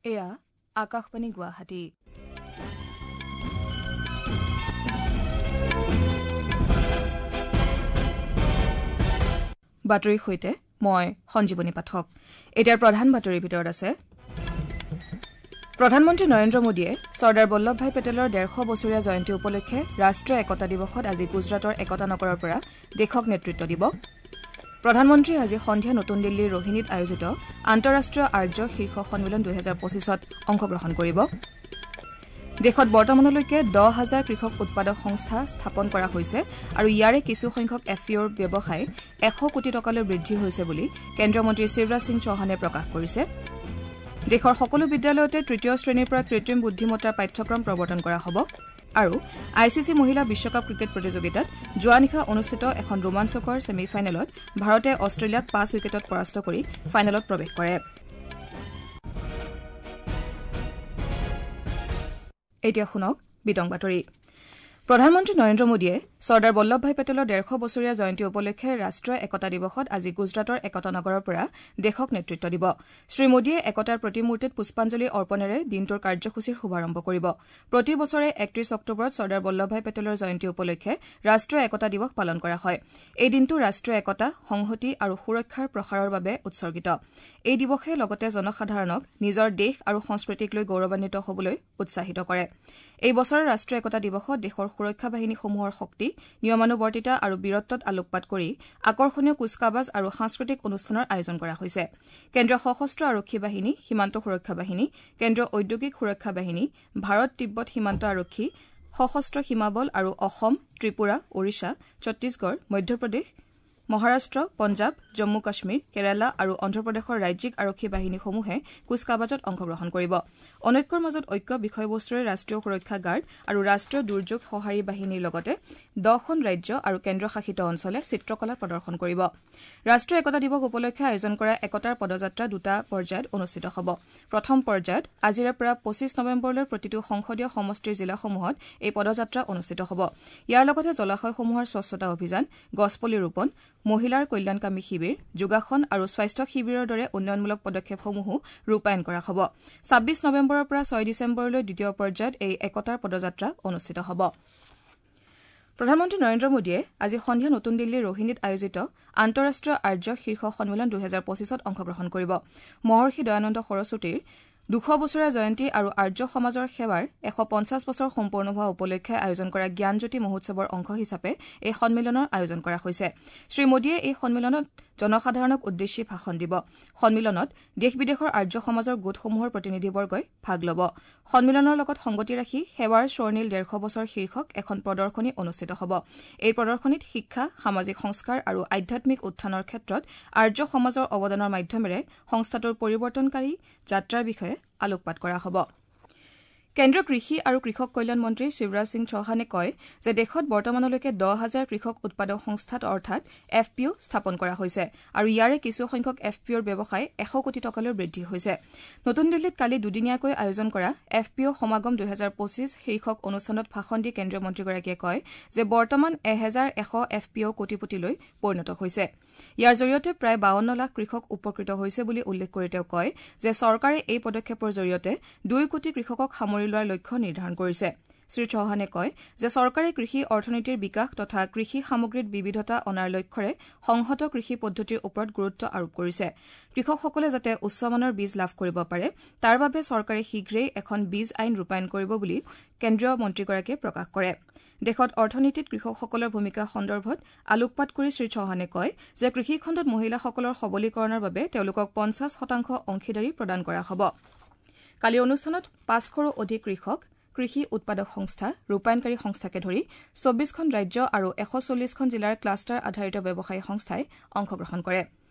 এয়া আকাশবাণী গুৱাহাটী। বাতৰিৰ সৈতে মই সঞ্জীৱনী পাঠক। এতিয়াৰ প্ৰধান বাতৰিৰ ভিতৰত আছে প্ৰধানমন্ত্ৰী নৰেন্দ্ৰ মোদীয়ে চৰ্দাৰ বল্লভভাই পেটেলৰ ১৫০ বছৰীয়া জয়ন্তী উপলক্ষে ৰাষ্ট্ৰীয় একতা দিৱসত আজি গুজৰাটৰ একতা নগৰৰ পৰা দেশক নেতৃত্ব দিব। প্ৰধানমন্ত্ৰীয়ে আজি সন্ধিয়া নতুন দিল্লীৰ ৰোহিণীত আয়োজিত আন্তঃৰাষ্ট্ৰীয় আৰ্য শীৰ্ষ সন্মিলন ২০২৫ত অংশগ্ৰহণ কৰিব। দেশত বৰ্তমানলৈকে ১০ হাজাৰ কৃষক উৎপাদক সংস্থা স্থাপন কৰা হৈছে আৰু ইয়াৰে কিছু সংখ্যক এফ পি অ'ৰ ব্যৱসায় ১০০ কোটি টকালৈ বৃদ্ধি হৈছে বুলি কেন্দ্ৰীয় মন্ত্ৰী শিৱৰাজ সিং চৌহানে প্ৰকাশ কৰিছে। দেশৰ সকলো বিদ্যালয়তে তৃতীয় শ্ৰেণীৰ পৰা কৃত্ৰিম বুদ্ধিমত্তাৰ পাঠ্যক্ৰম প্ৰৱৰ্তন কৰা হ'ব। আৰু I C C মহিলা বিশ্বকাপ ক্ৰিকেট প্ৰতিযোগিতাত যোৱা নিশা অনুষ্ঠিত এখন ৰোমাঞ্চকৰ ছেমি ফাইনেলত ভাৰতে অষ্ট্ৰেলিয়াক ৫ উইকেটত পৰাস্ত কৰি ফাইনেলত প্ৰৱেশ কৰে। এতিয়া শুনক বিতং বাতৰি। প্ৰধানমন্ত্ৰী নৰেন্দ্ৰ মোদীয়ে চৰ্দাৰ বল্লভভাই পেটেলৰ ১৫০ বছৰীয়া জয়ন্তী উপলক্ষে ৰাষ্ট্ৰীয় একতা দিৱসত আজি গুজৰাটৰ একতা নগৰৰ পৰা দেশক নেতৃত্ব দিব। শ্ৰীমোদীয়ে একতাৰ প্ৰতিমূৰ্তিত পুষ্পাঞ্জলি অৰ্পণেৰে দিনটোৰ কাৰ্যসূচীৰ শুভাৰম্ভ কৰিব। প্ৰতি বছৰে ৩১ অক্টোবৰত চৰ্দাৰ বল্লভভাই পেটেলৰ জয়ন্তী উপলক্ষে ৰাষ্ট্ৰীয় একতা দিৱস পালন কৰা হয়। এই দিনটো ৰাষ্ট্ৰীয় একতা, সংহতি আৰু সুৰক্ষাৰ প্ৰসাৰৰ বাবে উৎসৰ্গিত। এই দিৱসে লগতে জনসাধাৰণক নিজৰ দেশ আৰু সংস্কৃতিক লৈ গৌৰৱান্বিত হ'বলৈ উৎসাহিত কৰে। এই বছৰৰ ৰাষ্ট্ৰীয় একতা দিৱসত দেশৰ সুৰক্ষা বাহিনীসমূহৰ শক্তি, নিয়মানুৱৰ্তিতা আৰু বীৰত্বত আলোকপাত কৰি আকৰ্ষণীয় কুচকাৱাজ আৰু সাংস্কৃতিক অনুষ্ঠানৰ আয়োজন কৰা হৈছে। কেন্দ্ৰীয় সশস্ত্ৰ আৰক্ষী বাহিনী, সীমান্ত সুৰক্ষা বাহিনী, কেন্দ্ৰীয় ঔদ্যোগিক সুৰক্ষা বাহিনী, ভাৰত তিব্বত সীমান্ত আৰক্ষী, সশস্ত্ৰ সীমা বল আৰু অসম, ত্ৰিপুৰা, ওড়িশা, ছত্তীশগড়, মধ্যপ্ৰদেশ, মহাৰাষ্ট্ৰ, পঞ্জাৱ, জম্মু কাশ্মীৰ, কেৰালা আৰু অন্ধ্ৰপ্ৰদেশৰ ৰাজ্যিক আৰক্ষী বাহিনীসমূহে কুচকাৱাজত অংশগ্ৰহণ কৰিব। অনৈক্যৰ মাজত ঐক্য বিষয়বস্তুৰে ৰাষ্ট্ৰীয় সুৰক্ষা গাৰ্ড আৰু ৰাষ্ট্ৰীয় দুৰ্যোগ সঁহাৰি বাহিনীৰ লগতে ১০খন ৰাজ্য আৰু কেন্দ্ৰীয়শাসিত অঞ্চলে চিত্ৰকলা প্ৰদৰ্শন কৰিব। ৰাষ্ট্ৰীয় একতা দিৱস উপলক্ষে আয়োজন কৰা একতাৰ পদযাত্ৰা দুটা পৰ্যায়ত অনুষ্ঠিত হ'ব। প্ৰথম পৰ্যায়ত আজিৰে পৰা ২৫ নৱেম্বৰলৈ প্ৰতিটো সংসদীয় সমষ্টিৰ জিলাসমূহত এই পদযাত্ৰা অনুষ্ঠিত হ'ব। ইয়াৰ লগতে জলাশয়সমূহৰ স্বচ্ছতা অভিযান, গছপুলি ৰোপণ, মহিলাৰ কল্যাণকামী শিবিৰ, যোগাসন আৰু স্বাস্থ্য শিবিৰৰ দৰে উন্নয়নমূলক পদক্ষেপসমূহো ৰূপায়ণ কৰা হ'ব। ২৬ নৱেম্বৰৰ পৰা ৬ ডিচেম্বৰলৈ দ্বিতীয় পৰ্যায়ত এই একতাৰ পদযাত্ৰা অনুষ্ঠিত হ'ব। প্ৰধানমন্ত্ৰী নৰেন্দ্ৰ মোদীয়ে আজি সন্ধিয়া নতুন দিল্লীৰ ৰোহিণীত আয়োজিত আন্তঃৰাষ্ট্ৰীয় আৰ্য শীৰ্ষ সন্মিলন ২০২৫ত অংশগ্ৰহণ কৰিব। মহৰ্ষি দয়ানন্দ সৰস্বতীৰ ২০০ বছৰীয়া জয়ন্তী আৰু আৰ্য সমাজৰ সেৱাৰ ১৫০ বছৰ সম্পূৰ্ণ হোৱা উপলক্ষে আয়োজন কৰা জ্ঞানজ্যোতি মহোৎসৱৰ অংশ হিচাপে এই সন্মিলনৰ আয়োজন কৰা হৈছে। শ্ৰীমোদীয়ে এই সন্মিলনত জনসাধাৰণক উদ্দেশ্যি ভাষণ দিব। সন্মিলনত দেশ বিদেশৰ আৰ্য সমাজৰ গোটসমূহৰ প্ৰতিনিধিবৰ্গই ভাগ ল'ব। সন্মিলনৰ লগত সংগতি ৰাখি সেৱাৰ স্বৰ্ণিল ১৫০ বছৰ শীৰ্ষক এখন প্ৰদৰ্শনী অনুষ্ঠিত হ'ব। এই প্ৰদৰ্শনীত শিক্ষা, সামাজিক সংস্কাৰ আৰু আধ্যাত্মিক উত্থানৰ ক্ষেত্ৰত আৰ্য সমাজৰ অৱদানৰ মাধ্যমেৰে সংস্থাটোৰ পৰিৱৰ্তনকাৰী যাত্ৰাৰ বিষয়ে আলোকপাত কৰা হ'ব। কেন্দ্ৰীয় কৃষি আৰু কৃষক কল্যাণ মন্ত্ৰী শিৱৰাজ সিং চৌহানে কয় যে দেশত বৰ্তমানলৈকে ১০ হাজাৰ কৃষক উৎপাদক সংস্থা অৰ্থাৎ এফ পি অ' স্থাপন কৰা হৈছে আৰু ইয়াৰে কিছু সংখ্যক এফ পি অ'ৰ ব্যৱসায় ১০০ কোটি টকালৈ বৃদ্ধি হৈছে। নতুন দিল্লীত কালি দুদিনীয়াকৈ আয়োজন কৰা এফ পি অ' সমাগম ২০২৫ শীৰ্ষক অনুষ্ঠানত ভাষণ দি কেন্দ্ৰীয় মন্ত্ৰীগৰাকীয়ে কয় যে বৰ্তমান ১১০০ এফ পি অ' কোটিপতিলৈ পৰিণত হৈছে। ইয়াৰ জৰিয়তে প্ৰায় ৫২ লাখ কৃষক উপকৃত হৈছে বুলি উল্লেখ কৰি তেওঁ কয় যে চৰকাৰে এই পদক্ষেপৰ জৰিয়তে ২ কোটি কৃষকক সামৰি লোৱাৰ লক্ষ্য নিৰ্ধাৰণ কৰিছে। শ্ৰীচৌহানে কয় যে চৰকাৰে কৃষি অৰ্থনীতিৰ বিকাশ তথা কৃষি সামগ্ৰীত বিবিধতা অনাৰ লক্ষ্যৰে সংহত কৃষি পদ্ধতিৰ ওপৰত গুৰুত্ব আৰোপ কৰিছে। কৃষকসকলে যাতে উচ্চমানৰ বীজ লাভ কৰিব পাৰে তাৰ বাবে চৰকাৰে শীঘ্ৰেই এখন বীজ আইন ৰূপায়ণ কৰিব বুলি কেন্দ্ৰীয় মন্ত্ৰীগৰাকীয়ে প্ৰকাশ কৰে। দেশত অৰ্থনীতিত কৃষকসকলৰ ভূমিকা সন্দৰ্ভত আলোকপাত কৰি শ্ৰীচৌহানে কয় যে কৃষিখণ্ডত মহিলাসকলৰ সবলীকৰণৰ বাবে তেওঁলোকক ৫০ শতাংশ অংশীদাৰী প্ৰদান কৰা হ'ব। কালিৰ অনুষ্ঠানত ৫০০ৰো অধিক কৃষক, কৃষি উৎপাদক সংস্থা, ৰূপায়ণকাৰী সংস্থাকে ধৰি ২৪খন ৰাজ্য আৰু ১৪০খন জিলাৰ ক্লাষ্টাৰ আধাৰিত ব্যৱসায়ী সংস্থাই অংশগ্ৰহণ কৰে।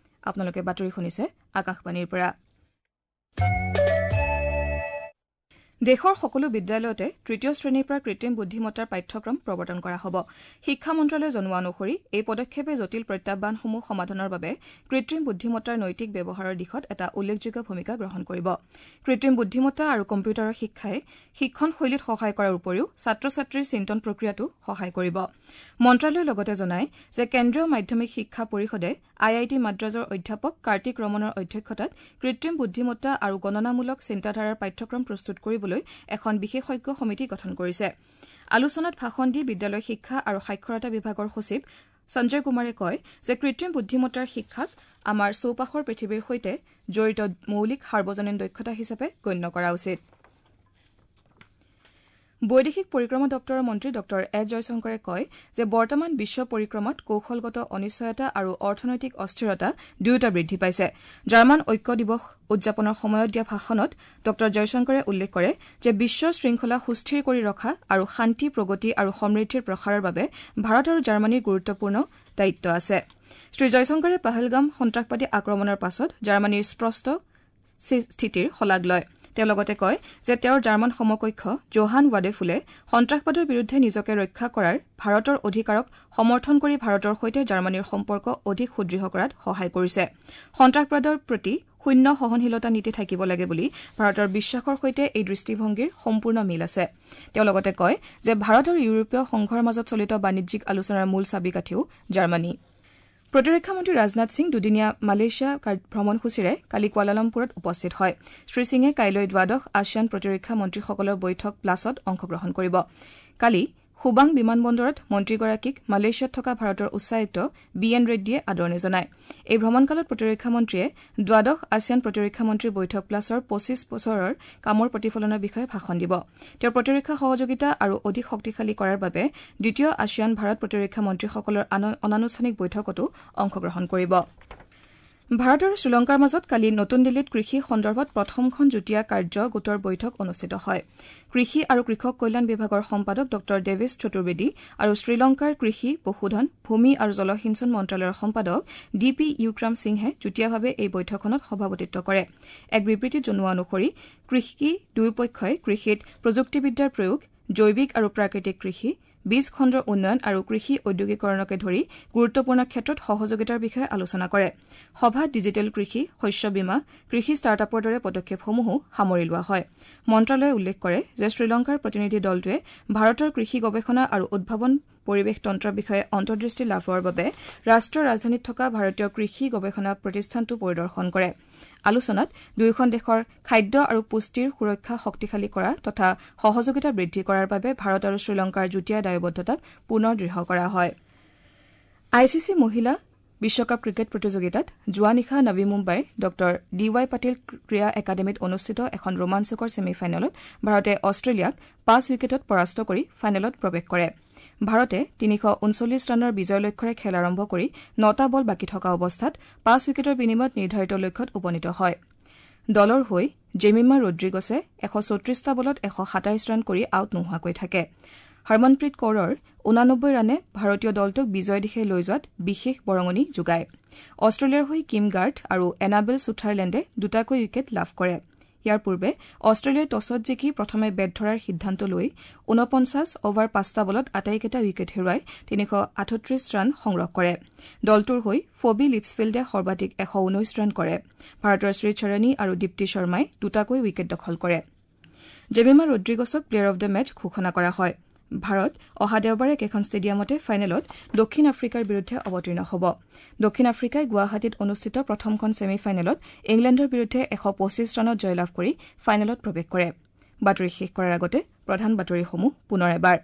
আপোনালোকে বাতৰি শুনিছে আকাশবাণীৰ পৰা। দেশৰ সকলো বিদ্যালয়তে তৃতীয় শ্ৰেণীৰ পৰা কৃত্ৰিম বুদ্ধিমত্তাৰ পাঠ্যক্ৰম প্ৰৱৰ্তন কৰা হ'ব। শিক্ষা মন্ত্ৰালয়ে জনোৱা অনুসৰি এই পদক্ষেপে জটিল প্ৰত্যাহ্বানসমূহ সমাধানৰ বাবে কৃত্ৰিম বুদ্ধিমত্তাৰ নৈতিক ব্যৱহাৰৰ দিশত এটা উল্লেখযোগ্য ভূমিকা গ্ৰহণ কৰিব। কৃত্ৰিম বুদ্ধিমত্তা আৰু কম্পিউটাৰৰ শিক্ষাই শিক্ষণ শৈলীত সহায় কৰাৰ উপৰিও ছাত্ৰ ছাত্ৰীৰ চিন্তন প্ৰক্ৰিয়াতো সহায় কৰিব। মন্ত্ৰালয়ে লগতে জনায় যে কেন্দ্ৰীয় মাধ্যমিক শিক্ষা পৰিষদে আই I T মাদ্ৰাজৰ অধ্যাপক কাৰ্তিক ৰমনৰ অধ্যক্ষতাত কৃত্ৰিম বুদ্ধিমত্তা আৰু গণনামূলক চিন্তাধাৰাৰ পাঠ্যক্ৰম প্ৰস্তুত কৰিবলৈ এখন বিশেষজ্ঞ সমিতি গঠন কৰিছে। আলোচনাত ভাষণ দি বিদ্যালয় শিক্ষা আৰু সাক্ষৰতা বিভাগৰ সচিব সঞ্জয় কুমাৰে কয় যে কৃত্ৰিম বুদ্ধিমত্তাৰ শিক্ষাক আমাৰ চৌপাশৰ পৃথিৱীৰ সৈতে জড়িত মৌলিক সাৰ্বজনীন দক্ষতা হিচাপে গণ্য কৰা উচিত। বৈদেশিক পৰিক্ৰমা দপ্তৰৰ মন্ত্ৰী ডঃ এছ জয়শংকৰে কয় যে বৰ্তমান বিশ্ব পৰিক্ৰমাত কৌশলগত অনিশ্চয়তা আৰু অৰ্থনৈতিক অস্থিৰতা দুয়োটা বৃদ্ধি পাইছে। জাৰ্মান ঐক্য দিৱস উদযাপনৰ সময়ত দিয়া ভাষণত ডঃ জয়শংকৰে উল্লেখ কৰে যে বিশ্ব শৃংখলা সুস্থিৰ কৰি ৰখা আৰু শান্তি, প্ৰগতি আৰু সমৃদ্ধিৰ প্ৰসাৰৰ বাবে ভাৰত আৰু জাৰ্মানীৰ গুৰুত্বপূৰ্ণ দায়িত্ব আছে। শ্ৰীজয়শংকৰে পহলগাম সন্ত্ৰাসবাদী আক্ৰমণৰ পাছত জাৰ্মানীৰ স্পষ্ট স্থিতিৰ শলাগ লয়। তেওঁ লগতে কয় যে তেওঁৰ জাৰ্মান সমকক্ষ জোহান ৱাডেফুলে সন্ত্ৰাসবাদৰ বিৰুদ্ধে নিজকে ৰক্ষা কৰাৰ ভাৰতৰ অধিকাৰক সমৰ্থন কৰি ভাৰতৰ সৈতে জাৰ্মানীৰ সম্পৰ্ক অধিক সুদৃঢ় কৰাত সহায় কৰিছে। সন্ত্ৰাসবাদৰ প্ৰতি শূন্য সহনশীলতা নীতি থাকিব লাগে বুলি ভাৰতৰ বিশ্বাসৰ সৈতে এই দৃষ্টিভংগীৰ সম্পূৰ্ণ মিল আছে। তেওঁ লগতে কয় যে ভাৰত আৰু ইউৰোপীয় সংঘৰ মাজত চলিত বাণিজ্যিক আলোচনাৰ মূল চাবিকাঠিও জাৰ্মানী। প্ৰতিৰক্ষা মন্ত্ৰী ৰাজনাথ সিং দুদিনীয়া মালয়েছিয়া ভ্ৰমণসূচীৰে কালি কুৱালালামপুৰত উপস্থিত হয়। শ্ৰীসিঙে কাইলৈ দ্বাদশ আছিয়ান প্ৰতিৰক্ষা মন্ত্ৰীসকলৰ বৈঠক প্লাছত অংশগ্ৰহণ কৰিব। কালি সুবাং বিমানবন্দৰত মন্ত্ৰীগৰাকীক মালয়েছিয়াত থকা ভাৰতৰ উচ্চায়ুক্ত বি এন ৰেড্ডীয়ে আদৰণি জনায়। এই ভ্ৰমণকালত প্ৰতিৰক্ষা মন্ত্ৰীয়ে দ্বাদশ আছিয়ান প্ৰতিৰক্ষা মন্ত্ৰী বৈঠক প্লাছৰ ২৫ বছৰৰ কামৰ প্ৰতিফলনৰ বিষয়ে ভাষণ দিব। তেওঁ প্ৰতিৰক্ষা সহযোগিতা আৰু অধিক শক্তিশালী কৰাৰ বাবে দ্বিতীয় আছিয়ান ভাৰত প্ৰতিৰক্ষা মন্ত্ৰীসকলৰ অনানুষ্ঠানিক বৈঠকতো অংশগ্ৰহণ কৰিব। ভাৰত আৰু শ্ৰীলংকাৰ মাজত কালি নতুন দিল্লীত কৃষি সন্দৰ্ভত প্ৰথমখন যুটীয়া কাৰ্য গোটৰ বৈঠক অনুষ্ঠিত হয়। কৃষি আৰু কৃষক কল্যাণ বিভাগৰ সম্পাদক ডঃ দেৱেশ চতুৰ্বেদী আৰু শ্ৰীলংকাৰ কৃষি, পশুধন, ভূমি আৰু জলসিঞ্চন মন্ত্ৰালয়ৰ সম্পাদক ডি পি ইউক্ৰাম সিংহে যুটীয়াভাৱে এই বৈঠকখনত সভাপতিত্ব কৰে। এক বিবৃতিত জনোৱা অনুসৰি কৃষি দুয়োপক্ষই কৃষিত প্ৰযুক্তিবিদ্যাৰ প্ৰয়োগ, জৈৱিক আৰু প্ৰাকৃতিক কৃষি, বীজ খণ্ডৰ উন্নয়ন আৰু কৃষি ঔদ্যোগিকৰণকে ধৰি গুৰুত্বপূৰ্ণ ক্ষেত্ৰত সহযোগিতাৰ বিষয়ে আলোচনা কৰে। সভাত ডিজিটেল কৃষি, শস্য বীমা, কৃষি ষ্টাৰ্টআপৰ দৰে পদক্ষেপসমূহো সামৰি লোৱা হয়। মন্ত্ৰালয়ে উল্লেখ কৰে যে শ্ৰীলংকাৰ প্ৰতিনিধি দলটোৱে ভাৰতৰ কৃষি গৱেষণা আৰু উদ্ভাৱন পৰিৱেশ তন্ত্ৰৰ বিষয়ে অন্তৰ্দৃষ্টি লাভৰ বাবে ৰাষ্ট্ৰীয় ৰাজধানীত থকা ভাৰতীয় কৃষি গৱেষণা প্ৰতিষ্ঠানটো পৰিদৰ্শন কৰে। আলোচনাত দুয়োখন দেশৰ খাদ্য আৰু পুষ্টিৰ সুৰক্ষা শক্তিশালী কৰা তথা সহযোগিতা বৃদ্ধি কৰাৰ বাবে ভাৰত আৰু শ্ৰীলংকাৰ যুটীয়া দায়বদ্ধতাক পুনৰ দৃঢ় কৰা হয়। I C C মহিলা বিশ্বকাপ ক্ৰিকেট প্ৰতিযোগিতাত যোৱা নিশা নৱী মুম্বাইৰ ডঃ ডি ৱাই পাটিল ক্ৰীড়া একাডেমীত অনুষ্ঠিত এখন ৰোমাঞ্চকৰ ছেমি ফাইনেলত ভাৰতে অষ্ট্ৰেলিয়াক ৫ উইকেটত পৰাস্ত কৰি ফাইনেলত প্ৰৱেশ কৰে। ভাৰতে ৩৩৯ ৰানৰ বিজয় লক্ষ্যৰে খেল আৰম্ভ কৰি ৯টা বল বাকী থকা অৱস্থাত ৫ উইকেটৰ বিনিময়ত নিৰ্ধাৰিত লক্ষ্যত উপনীত হয়। দলৰ হৈ জেমিমা ৰোড্ৰিগছে ১৩৪টা বলত ১২৭ ৰান কৰি আউট নোহোৱাকৈ থাকে। হৰমনপ্ৰীত কৌৰৰ ৮৯ ৰানে ভাৰতীয় দলটোক বিজয় দিশে লৈ যোৱাত বিশেষ বৰঙণি যোগায়। অষ্ট্ৰেলিয়াৰ হৈ কিম গাৰ্থ আৰু এনাবেল ছুথাৰলেণ্ডে দুটাকৈ উইকেট লাভ কৰে। ইয়াৰ পূৰ্বে অষ্ট্ৰেলিয়াই টছত জিকি প্ৰথমে বেট ধৰাৰ সিদ্ধান্ত লৈ ৪৯ অভাৰ ৫টা বলত আটাইকেইটা উইকেট হেৰুৱাই ৩৩৮ ৰান সংগ্ৰহ কৰে। দলটোৰ হৈ ফবি লিটছফিল্ডে সৰ্বাধিক ১১৯ ৰান কৰে। ভাৰতৰ শ্ৰীচৰণী আৰু দীপ্তি শৰ্মাই দুটাকৈ উইকেট দখল কৰে। জেমিমা ৰোড্ৰিগছক প্লেয়াৰ অব the match ঘোষণা কৰা হয়। ভাৰত অহা দেওবাৰে একেখন ষ্টেডিয়ামতে ফাইনেলত দক্ষিণ আফ্ৰিকাৰ বিৰুদ্ধে অৱতীৰ্ণ হ'ব। দক্ষিণ আফ্ৰিকাই গুৱাহাটীত অনুষ্ঠিত প্ৰথমখন ছেমি ফাইনেলত ইংলেণ্ডৰ বিৰুদ্ধে ১২৫ ৰানত জয়লাভ কৰি ফাইনেলত প্ৰৱেশ কৰে। বাতৰি শেষ কৰাৰ আগতে প্ৰধান বাতৰিসমূহ পুনৰ এবাৰ।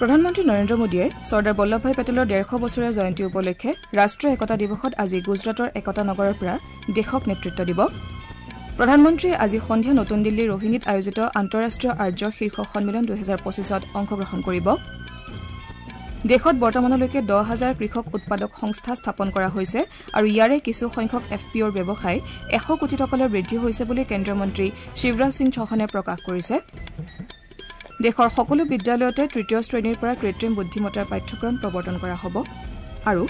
প্ৰধানমন্ত্ৰী নৰেন্দ্ৰ মোদীয়ে চৰ্দাৰ বল্লভভাই পেটেলৰ ১৫০ বছৰীয়া জয়ন্তী উপলক্ষে ৰাষ্ট্ৰীয় একতা দিৱসত আজি গুজৰাটৰ একতা নগৰৰ পৰা দেশক নেতৃত্ব দিব। প্ৰধানমন্ত্ৰীয়ে আজি সন্ধিয়া নতুন দিল্লীৰ ৰোহিণীত আয়োজিত আন্তঃৰাষ্ট্ৰীয় আৰ্য শীৰ্ষ সন্মিলন ২০২৫ত অংশগ্ৰহণ কৰিব। দেশত বৰ্তমানলৈকে ১০,০০০ কৃষক উৎপাদক সংস্থা স্থাপন কৰা হৈছে আৰু ইয়াৰে কিছু সংখ্যক এফ পি অ'ৰ ব্যৱসায় ১০০ কোটি টকালৈ বৃদ্ধি হৈছে বুলি কেন্দ্ৰীয় মন্ত্ৰী শিৱৰাজ সিং চৌহানে প্ৰকাশ কৰিছে। দেশৰ সকলো বিদ্যালয়তে তৃতীয় শ্ৰেণীৰ পৰা কৃত্ৰিম বুদ্ধিমত্তাৰ পাঠ্যক্ৰম প্ৰৱৰ্তন কৰা হ'ব। আৰু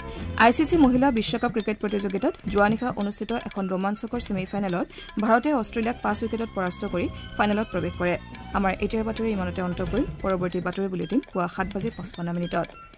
I C C মহিলা বিশ্বকাপ ক্ৰিকেট প্ৰতিযোগিতাত যোৱা নিশা অনুষ্ঠিত এখন ৰোমাঞ্চকৰ ছেমি ফাইনেলত ভাৰতে অষ্ট্ৰেলিয়াক 5 উইকেটত পৰাস্ত কৰি ফাইনেলত প্ৰৱেশ কৰে। আমাৰ এতিয়াৰ বাতৰি ইমানতে অন্ত পৰিল। পৰৱৰ্তী বাতৰি বুলেটিন পুৱা 7:55।